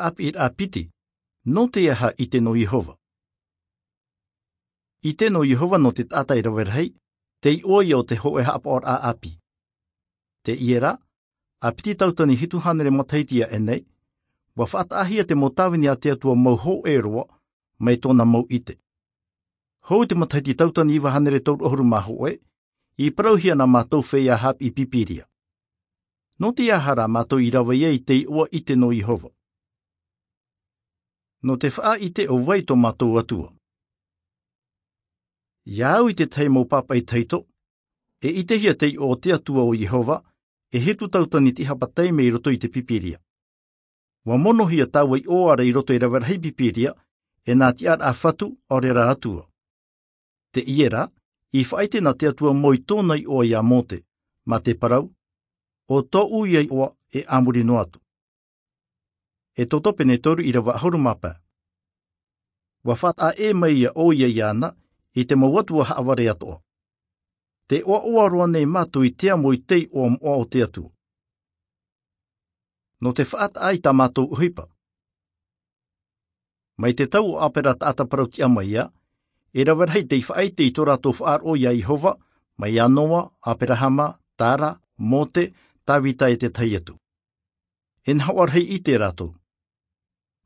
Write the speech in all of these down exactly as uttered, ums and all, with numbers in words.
ʻāpiʻiraʻa piti. Nō te aha ʻite nō Iehova? ʻIte nō Iehova nō te taʻata e rave rahi, te iʻoa ia o te hōʻē haʻapaʻoraʻa ʻāpī. Teie rā, ʻa piti tauatini hitu hānere matahiti ia ʻenei, ʻua faʻataʻahia te mau tāvini a te Atua mau hōʻē roa, mai tōna mau ʻite. Hou i te matahiti tauatini iva hānere toru ʻahuru mā hōʻē, i parauhia nā mātou feiā haʻapiʻi Pīpīria. Nō te aha rā mātou i rave ai i te iʻoa ʻite nō Iehova? Nō te faʻaʻite ʻo vai tō mātou Atua? Ia au i te tahi mau pāpaʻi tahito, e ʻitehia te iʻoa o te Atua ʻo Iehova, e hitu tauatini tiʻahapa taime i roto i te Pīpīria. ʻUa monohia taua iʻoa ra i roto i te rave rahi Pīpīria, e nā tiʻaraʻa fatu, ʻaore rā Atua. Teie rā, i faʻaʻite nā te Atua mau i tōna iʻoa ia Mōte, mā te parau, ʻo tōʻu ia iʻoa e a muri noa atu. ʻEtoto pene toru ʻīrava ʻahuru mā pae. ʻUa faʻataʻa ʻē mai ʻoia iāna, i te mau atua haʻavare atoʻa. Tē ʻoaʻoa roa nei mātou i te amo i te iʻoa moʻa o te Atua. Nō te faʻataʻa i tā mātou ʻohipa. Mai te tau o ʻĀpera taʻata parau tiʻa mai ā, e rave rahi tei faʻaʻite i tō rātou faʻaroʻo ia Iehova, mai iā Noa, ʻĀperahama, Tara, Mōte, Tāvita e te tahi atu. E nahoʻa rahi ʻite rātou.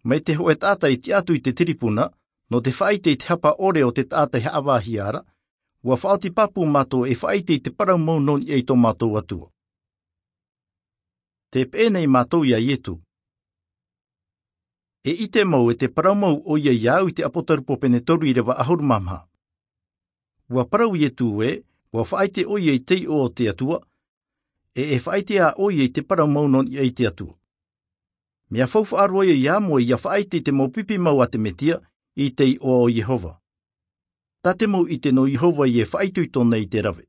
Mai te hōʻē taʻata i tiʻa atu i te tiripuna, nō te faʻaʻite i te hapa ʻore o te taʻata i haʻavāhia ra, ʻua faʻaoti pāpū mātou e faʻaʻite i te parau mau nō niʻa i tō mātou Atua. Tē peʻe nei mātou ia Ietu. E ʻite mau e te parau mau ʻoia ia au i te Apotarupo pene toru ʻīrava ʻahuru mā maha. ʻUa parau Ietu ē, ʻua faʻaʻite ʻoia i te iʻoa o te Atua, e e faʻaʻite ā ʻoia i te parau mau nō niʻa i te Atua. Mea faufaʻa roa ia iā Moe ia faʻaʻite i te mau pipi mau a te Metia, i te iʻoa o Iehova. Tā te mau ʻite nō Iehova ia e faʻaitoito nei i te rave.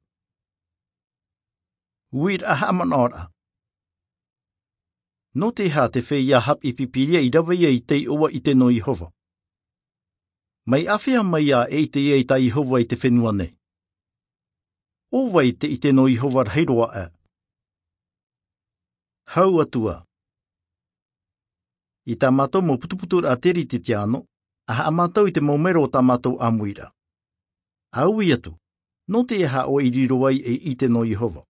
Uiraʻa haʻamanaʻoraʻa. Nō te aha te feiā haʻapiʻi Pīpīria i rave ai i te iʻoa ʻite nō Iehova? Mai āfea mai ā e ʻite ai tā Iehova i te fenua nei? ʻO vai te ʻite nō Iehova rahi roa aʻe? Hau atu ā. I tā mātou mau putuputuraʻa teretetiāno, ʻa haʻamātau i te mau mero o tā mātou ʻāmuiraʻa. ʻA ui atu, nō te aha ʻoe i riro ai ei ʻite nō Iehova?